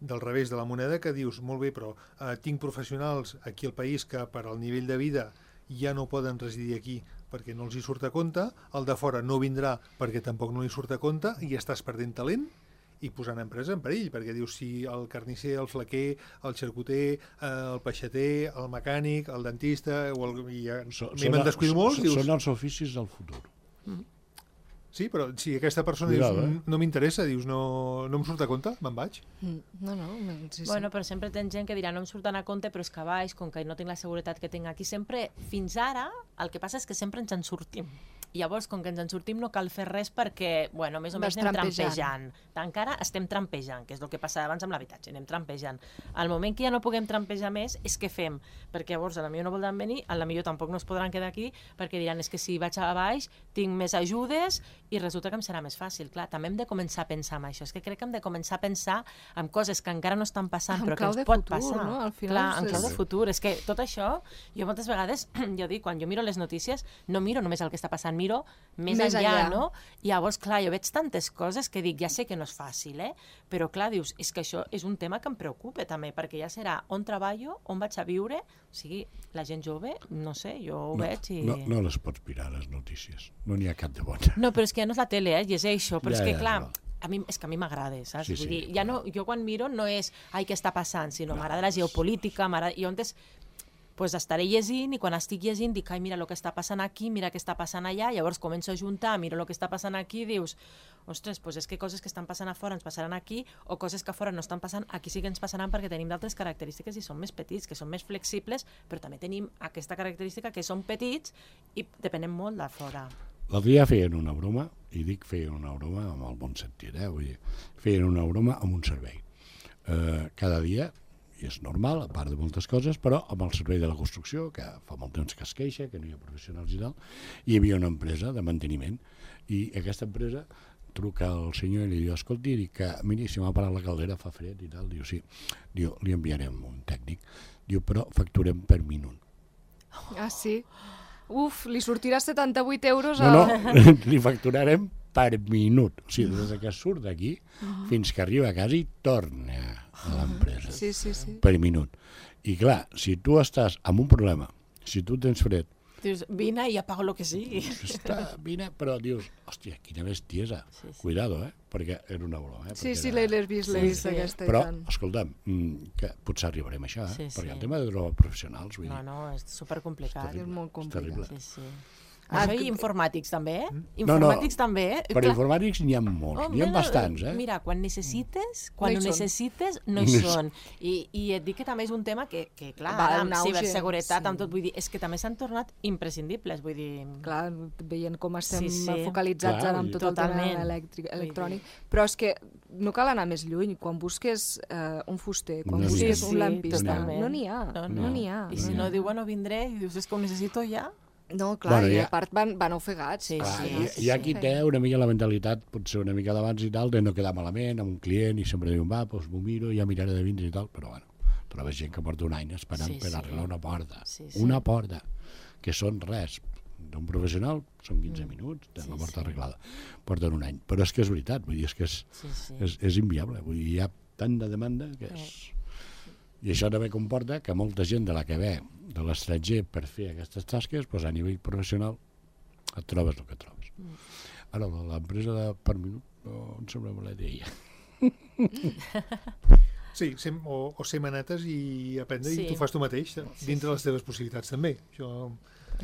del revés de la moneda, que dius, molt bé, però tinc professionals aquí al país que per al nivell de vida ja no poden residir aquí perquè no els hi surt a compte, el de fora no vindrà perquè tampoc no li surt a compte i estàs perdent talent i posant empresa en perill, perquè dius, si el carnisser, el flequer, el xarcuter, el peixater, el mecànic, el dentista, me'n descuido molts, dius... Són els oficis del futur. Sí, però si aquesta persona dius, no m'interessa, dius, no em surt a compte, me'n vaig. Sí. Bueno, però sempre tens gent que dirà, no em surten a compte, però és que baix, com que no tinc la seguretat que tinc aquí, sempre, fins ara, el que passa és que sempre ens en sortim. Llavors, com que ens en sortim, no cal fer res perquè, bueno, més o menys anem trampejant. Encara estem trampejant, que és el que passava abans amb l'habitatge, anem trampejant. Al moment que ja no puguem trampejar més, és què fem? Perquè llavors a la millor no voldran venir, a la millor tampoc no es podran quedar aquí, perquè diran, és que si vaig a baix, tinc més ajudes i resulta que em serà més fàcil. Clar, també hem de començar a pensar en això. És que crec que hem de començar a pensar en coses que encara no estan passant, però que ens pot passar. Clar, en clau de futur. És que tot això, jo moltes vegades, jo dic, quan jo miro les notícies, no miro només el que està passant, miro més enllà, no? I llavors, clar, jo veig tantes coses que dic, ja sé que no és fàcil, però clar, dius, és que això és un tema que em preocupa també, perquè ja serà on treballo, on vaig a viure, o sigui, la gent jove, no sé, jo ho veig i... No les pots mirar, les notícies, no n'hi ha cap de bona. No, però és que ja no és la tele, i és això, però és que clar... És que a mi m'agrada, saps? Sí, vull dir, ja no, jo quan miro no és ai, què està passant, sinó m'agrada la geopolítica, i on pues estaré llegint i quan estic llegint dic, ai, mira el que està passant aquí, mira què està passant allà, llavors començo a juntar, miro el que està passant aquí i dius, ostres, pues és que coses que estan passant a fora ens passaran aquí o coses que a fora no estan passant, aquí sí que ens passaran perquè tenim d'altres característiques i som més petits, que som més flexibles, però també tenim aquesta característica que som petits i depenem molt de fora. L'altre dia feien una broma, i dic feien una broma amb el bon sentit, vull dir, feien una broma amb un servei. Cada dia, i és normal, a part de moltes coses, però amb el servei de la construcció, que fa molt temps que es queixa, que no hi ha professionals i tal, hi havia una empresa de manteniment, i aquesta empresa truca al senyor i li diu, escolti, miri, si m'ha parat la caldera, fa fred i tal, diu, sí, diu, li enviarem un tècnic, diu, però facturem per minut. Ah, sí? Uf, li sortirà 78 euros No, li facturarem per minut. O sigui, des que surt d'aquí fins que arriba a casa i torna a l'empresa. Sí. Per minut. I clar, si tu estàs amb un problema, si tu tens fred... Dius, vine i apago el que sigui. Vine, però dius, hòstia, quina bestiesa. Cuidado, perquè era una broma. Sí, l'he vist aquesta. Però, escolta'm, que potser arribarem a això, perquè el tema de trobar professionals... No, és supercomplicat. És molt complicat. Sí. Això i informàtics també, Informàtics també, Per informàtics n'hi ha molts, n'hi ha bastants, Mira, quan necessites, quan ho necessites, no hi són. I et dic que també és un tema que clar, amb ciberseguretat, amb tot, vull dir, és que també s'han tornat imprescindibles, vull dir... Clar, veient com estem focalitzats ara amb tot el tema electrònic, però és que no cal anar més lluny, quan busques un fuster, quan busques un lampista, no n'hi ha. I si no diu, bueno, vindré, i dius, és que ho necessito ja... No, clar, i a part van ofegats. Hi ha qui té una mica la mentalitat, potser una mica d'abans i tal, de no quedar malament amb un client i sempre diuen, va, doncs m'ho miro, ja miraré de vindre i tal, però bueno, trobes gent que porta un any esperant per arreglar una porta. Una porta, que són res, d'un professional són 15 minuts, tenen la porta arreglada, porten un any. Però és que és veritat, vull dir, és que és inviable, vull dir, hi ha tant de demanda que és... I això també comporta que molta gent de la que ve de l'estranger per fer aquestes tasques, doncs a nivell professional et trobes el que trobes. Ara, l'empresa de per minut no em sembla mala idea. Sí, o ser manetes i aprendre i tu fas tu mateix, dintre les teves possibilitats també. Això...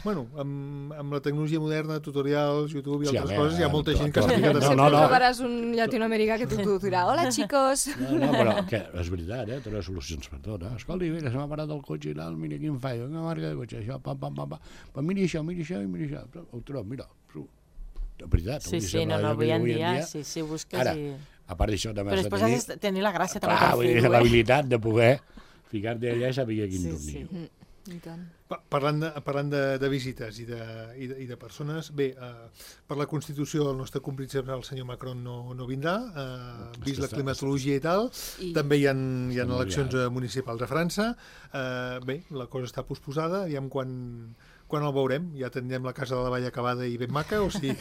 Bueno, amb la tecnologia moderna, tutorials, YouTube i altres coses, hi ha molta gent que explica... Sempre trobaràs un llatinoamericà que t'ho dirà. Hola, xicos! No, però que és veritat, té les solucions per tot. Escolta, mira, se m'ha parat el cotxe i tal, mira quin fallo, una marca de cotxe, això, pam. Però mira això i mira això. Ho trobo, mira, de veritat. Sí, no, avui en dia, si busques... Ara, a part d'això, també has de tenir... Però després has de tenir la gràcia també per fer-ho, l'habilitat de poder ficar-te allà i saber quin tornillo. Parlant de visites i de persones, bé, per la Constitució el nostre compríncep, el senyor Macron, no vindrà, vist la climatologia i tal, també hi ha eleccions municipals a França, bé, la cosa està posposada, aviam quan el veurem, ja tindrem la Casa de la Vall acabada i ben maca, o sigui,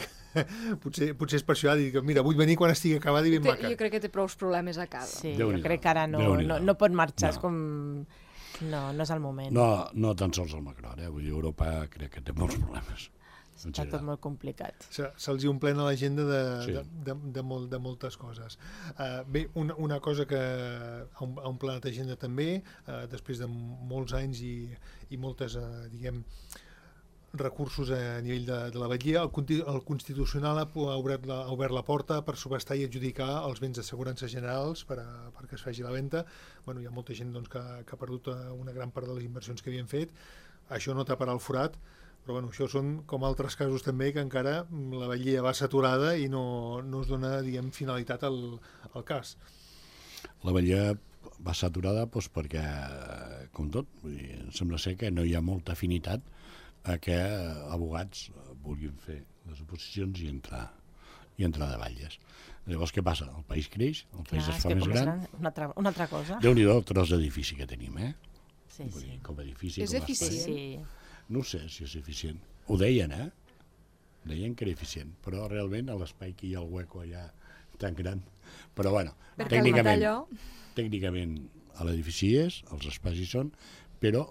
potser és per això, dir que mira, vull venir quan estigui acabada i ben maca. Jo crec que té prou problemes a casa. Sí, jo crec que ara no pot marxar, és com... No és el moment. No tan sols el Macron, vull dir, Europa crec que té molts problemes. Està tot molt complicat. Se'ls hi omplena l'agenda de moltes coses. Bé, una cosa que ha omplert l'agenda també, després de molts anys i moltes, diguem, recursos a nivell de la batllia, el Constitucional ha obert la porta per subhastar i adjudicar els béns d'assegurança generals perquè es faci la venda. Bueno, hi ha molta gent doncs, que ha perdut una gran part de les inversions que havien fet. Això no taparà el forat, però bueno, això són com altres casos també que encara la batllia va saturada i no es dona, diguem, finalitat al cas. La batllia va saturada doncs, perquè, com tot, vull dir, sembla ser que no hi ha molta afinitat a que abogats vulguin fer les oposicions i entrar de batlles. Llavors, què passa? El país creix, el país es fa més gran. Una altra cosa. Déu-n'hi-do el tros d'edifici que tenim, Sí. Com a edifici, és eficient? Sí. No sé si és eficient. Ho deien, Deien que era eficient, però realment a l'espai que hi ha el hueco allà tan gran. Però bueno, tècnicament a l'edifici els espais hi són, però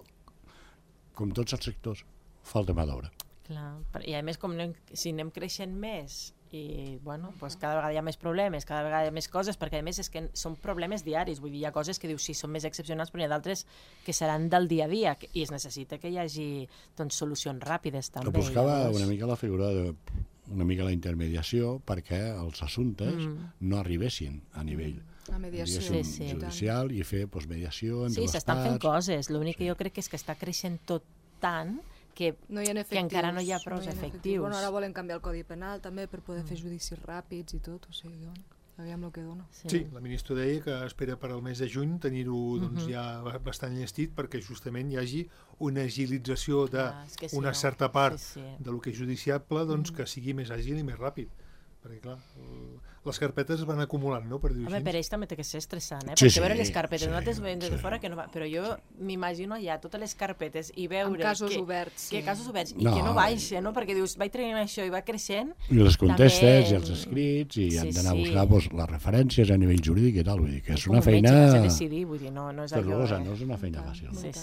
com tots els sectors, falta mà d'obra. Clar, i a més, si anem creixent més i, bueno, doncs cada vegada hi ha més problemes, cada vegada hi ha més coses, perquè a més és que són problemes diaris, vull dir, hi ha coses que dius sí, són més excepcionals, però hi ha d'altres que seran del dia a dia, i es necessita que hi hagi doncs, solucions ràpides també. Buscava una mica la figura una mica la intermediació perquè els assumptes no arribessin a nivell judicial i fer mediació entre les parts. Sí, s'estan fent coses, l'únic que jo crec que és que està creixent tot tant que encara no hi ha prou efectius. Bueno, ara volen canviar el Codi Penal també per poder fer judicis ràpids i tot, o sigui, aviam el que dona. Sí, la ministra deia que espera per al mes de juny tenir-ho ja bastant llestit perquè justament hi hagi una agilització d'una certa part del que és judiciable que sigui més àgil i més ràpid. Perquè, clar, les carpetes es van acumulant, no? Per dir-ho així. Per ells també té que ser estressant, perquè veure les carpetes, nosaltres veiem des de fora que no va, però jo m'imagino allà totes les carpetes i veure... Amb casos oberts. Que casos oberts, i que no baixa, no? Perquè dius, vaig traient això i va creixent... I les contestes i els escrits, i han d'anar a buscar les referències a nivell jurídic i tal, vull dir que és una feina... Com un metge que s'ha de decidir, vull dir, no és allò... No és una feina fàcil. Sí.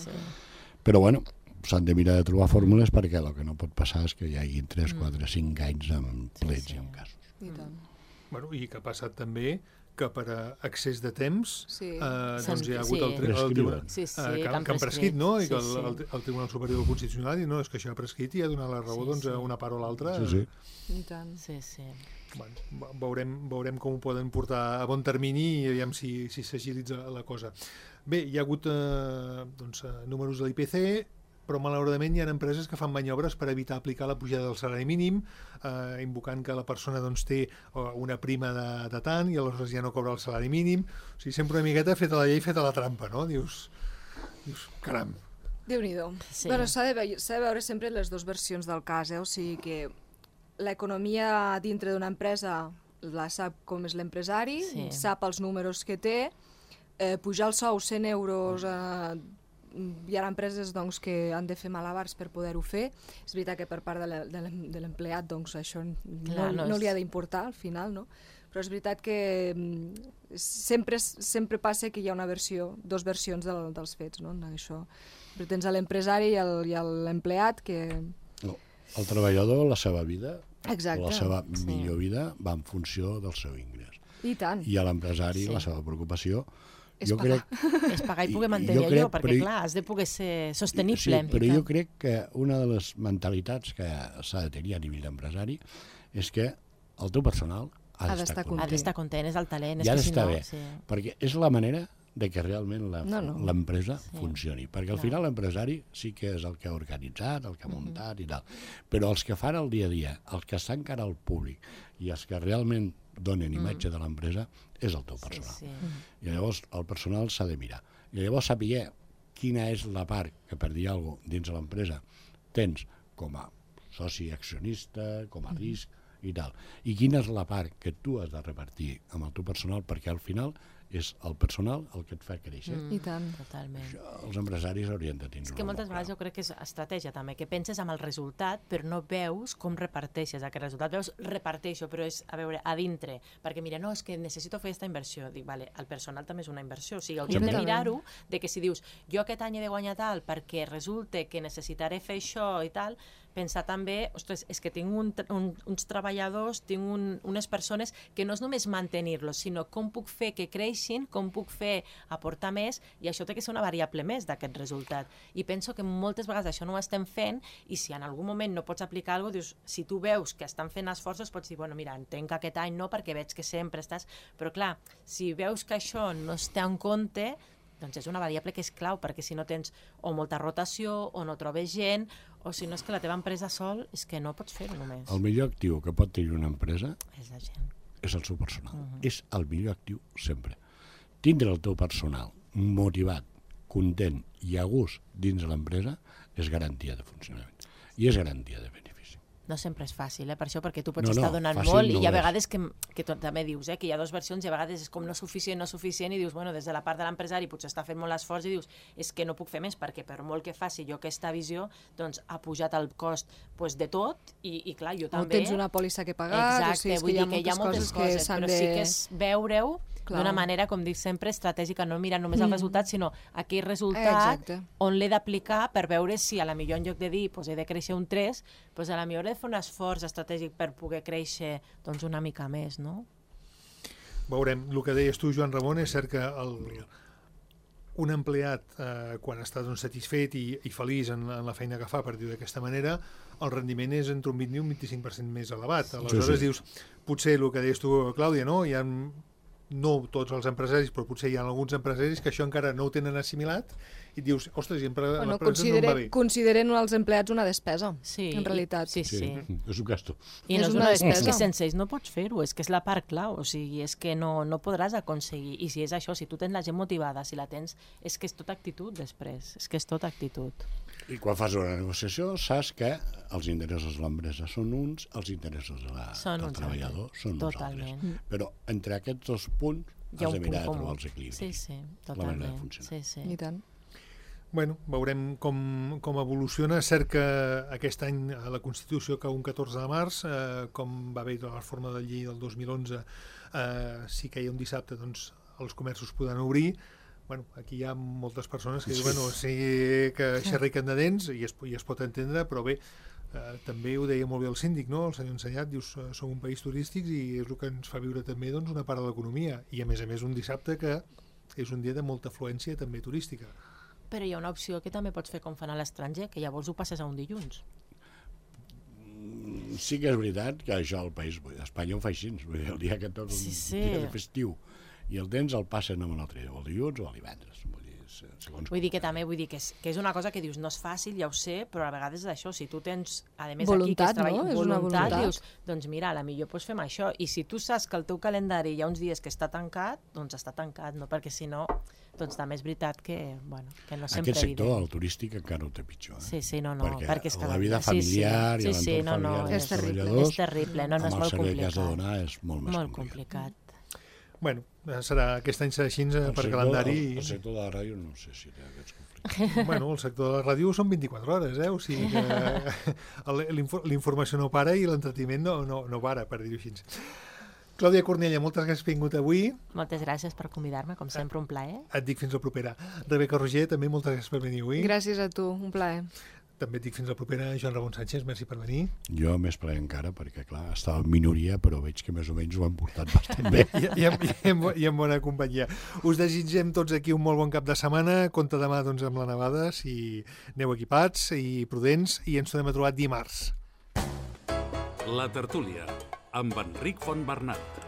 Però, bueno, s'han de mirar de trobar fórmules perquè el que no pot passar és que hi hagi 3, 4, 5 anys amb plets i amb casos. Bueno, i que ha passat també que per excés de temps doncs hi ha hagut el tribunal que han prescrit, no? I que el Tribunal Superior del Constitucional no, és que això ha prescrit i ha donat la raó a una part o l'altra. I tant. Bueno, veurem com ho poden portar a bon termini i aviam si s'agilitza la cosa. Bé, hi ha hagut números de l'IPC, però malauradament hi ha empreses que fan maniobres per evitar aplicar la pujada del salari mínim, invocant que la persona té una prima de tant i aleshores ja no cobra el salari mínim. O sigui, sempre una miqueta feta la llei, feta la trampa, no? Dius caram. Déu-n'hi-do. Bueno, s'ha de veure sempre les dues versions del cas, o sigui que l'economia dintre d'una empresa la sap com és l'empresari, sap els números que té, pujar el sou 100 euros hi ha empreses doncs, que han de fer malabars per poder-ho fer. És veritat que per part de l'empleat doncs, això no li ha d'importar al final, no? Però és veritat que sempre passa que hi ha dues versions dels fets, no? Això. Però tens l'empresari i l'empleat que... No. El treballador, la seva vida, exacte, la seva millor vida va en funció del seu ingrés. I tant. I a l'empresari, la seva preocupació... És pagar. És pagar i poder mantenir allò, perquè clar, has de poder ser sostenible. Sí, però jo crec que una de les mentalitats que s'ha de tenir a nivell d'empresari és que el teu personal ha d'estar content. Ha d'estar content, és el talent. I ha d'estar bé, perquè és la manera de que realment l'empresa funcioni. Perquè al final l'empresari sí que és el que ha organitzat, el que ha muntat i tal. Però els que fan el dia a dia, els que estan cara al públic i els que realment donen imatge de l'empresa és el teu personal. I llavors el personal s'ha de mirar. I llavors saber quina és la part que, per dir alguna cosa, dins de l'empresa tens com a soci accionista, com a risc i tal. I quina és la part que tu has de repartir amb el teu personal, perquè al final és el personal el que et fa créixer. I tant. Totalment. Això, els empresaris haurien de tindre. És que moltes vegades jo crec que és estratègia també, que penses amb el resultat però no veus com reparteixes aquest resultat. Veus, reparteixo, però és, a veure, a dintre. Perquè mira, no, és que necessito fer aquesta inversió. Dic, vale, el personal també és una inversió. O sigui, hauríem de mirar-ho, de que si dius, jo aquest any he de guanyar tal perquè resulta que necessitaré fer això i tal, pensar també, ostres, és que tinc uns treballadors, tinc unes persones que no és només mantenir-los, sinó com puc fer que creixin, com puc fer aportar més, i això té que ser una variable més d'aquest resultat. I penso que moltes vegades això no ho estem fent, i si en algun moment no pots aplicar alguna cosa, dius, si tu veus que estan fent esforços, pots dir, bueno, mira, entenc que aquest any no, perquè veig que sempre estàs... Però clar, si veus que això no es té en compte, doncs és una variable que és clau, perquè si no tens o molta rotació, o no trobes gent, o si no és que la teva empresa sol, és que no pots fer-ho només. El millor actiu que pot tenir una empresa és la gent. És el seu personal. És el millor actiu sempre. Tindre el teu personal motivat, content i a gust dins de l'empresa és garantia de funcionament. I és garantia de benefici. No sempre és fàcil, per això, perquè tu pots estar donant molt i hi ha vegades que també dius que hi ha dues versions i a vegades és com no suficient i dius, bueno, des de la part de l'empresari potser està fent molt esforç i dius, és que no puc fer més perquè per molt que faci jo aquesta visió, doncs ha pujat el cost de tot i clar, jo també... O tens una pòlissa que pagar, exacte, vull dir que hi ha moltes coses, però sí que és veure-ho d'una manera, com dic sempre, estratègica, no mirant només el resultat, sinó aquell resultat on l'he d'aplicar per veure si a la millor en lloc de dir he de créixer un 3, a la millor he de fer un esforç estratègic per poder créixer una mica més, no? Veurem. El que deies tu, Joan Ramon, és cert que un empleat, quan està satisfet i feliç en la feina que fa, per dir-ho d'aquesta manera, el rendiment és entre un 20 i un 25% més elevat. Aleshores dius, potser el que deies tu, Clàudia, no? Hi ha no tots els empresaris, però potser hi ha alguns empresaris que això encara no ho tenen assimilat i et dius, ostres, l'empresa no em va bé. Consideren els empleats una despesa, en realitat. Sí. És un gasto. I no és una despesa. És que sense ells no pots fer-ho, és que és la part clau, o sigui, és que no podràs aconseguir. I si és això, si tu tens la gent motivada, si la tens, és que és tota actitud després, és que és tota actitud. I quan fas una negociació saps que els interessos de l'empresa són uns, els interessos del treballador són uns altres. Però entre aquests dos punts has de mirar de trobar els equilibris. Sí, totalment. La manera de funcionar. I tant. Bueno, veurem com evoluciona. Cert que aquest any a la Constitució cau un 14 de març, com va haver la reforma de la llei del 2011, si caia un dissabte, doncs els comerços poden obrir. Bueno, aquí hi ha moltes persones que diuen que xerriquen de dents i es pot entendre, però bé, també ho deia molt bé el síndic, no? El senyor Ensenyat, dius, som un país turístic i és el que ens fa viure també una part de l'economia, i a més un dissabte que és un dia de molta afluència també turística. Però hi ha una opció que també pots fer com fan a l'estranger, que llavors ho passes a un dilluns. Sí que és veritat que això al país, a Espanya ho fa així, el dia que tot un dia de festiu i el temps el passen amb un altre dia, o el dilluns o el divendres. Vull dir que és una cosa que dius, no és fàcil, ja ho sé, però a vegades és això, si tu tens, a més voluntat, aquí que es treballa, no? voluntat, dius, doncs mira, potser pots fer això, i si tu saps que el teu calendari hi ha uns dies que està tancat, doncs està tancat, no? Perquè si no, doncs també és veritat que no sempre... Aquest sector, el turístic, encara ho té pitjor. Sí, no, perquè la vida familiar i l'entorn familiar dels treballadors, és terrible, no és molt complicat. amb el servei que has de donar és molt més complicat. Bueno, aquest any serà així per calendari. El sector de la ràdio no sé si té aquests conflictes. Bueno, el sector de la ràdio són 24 hores, o sigui que l'informació no para i l'entreteniment no para, per dir-ho així. Clàudia Cornella, moltes gràcies per vingut avui. Moltes gràcies per convidar-me, com sempre, un plaer. Et dic fins la propera. Rebeca Roger, també moltes gràcies per venir avui. Gràcies a tu, un plaer. També et dic fins la propera. Joan Ramon Sánchez, merci per venir. Jo més plaer encara, perquè clar, estava en minoria, però veig que més o menys ho han portat bastant bé. I en bona companyia. Us desitgem tots aquí un molt bon cap de setmana. Compte demà doncs, amb la nevada, si aneu equipats i prudents, i ens tornem a trobar dimarts. La tertúlia, amb Enric Fontbernat.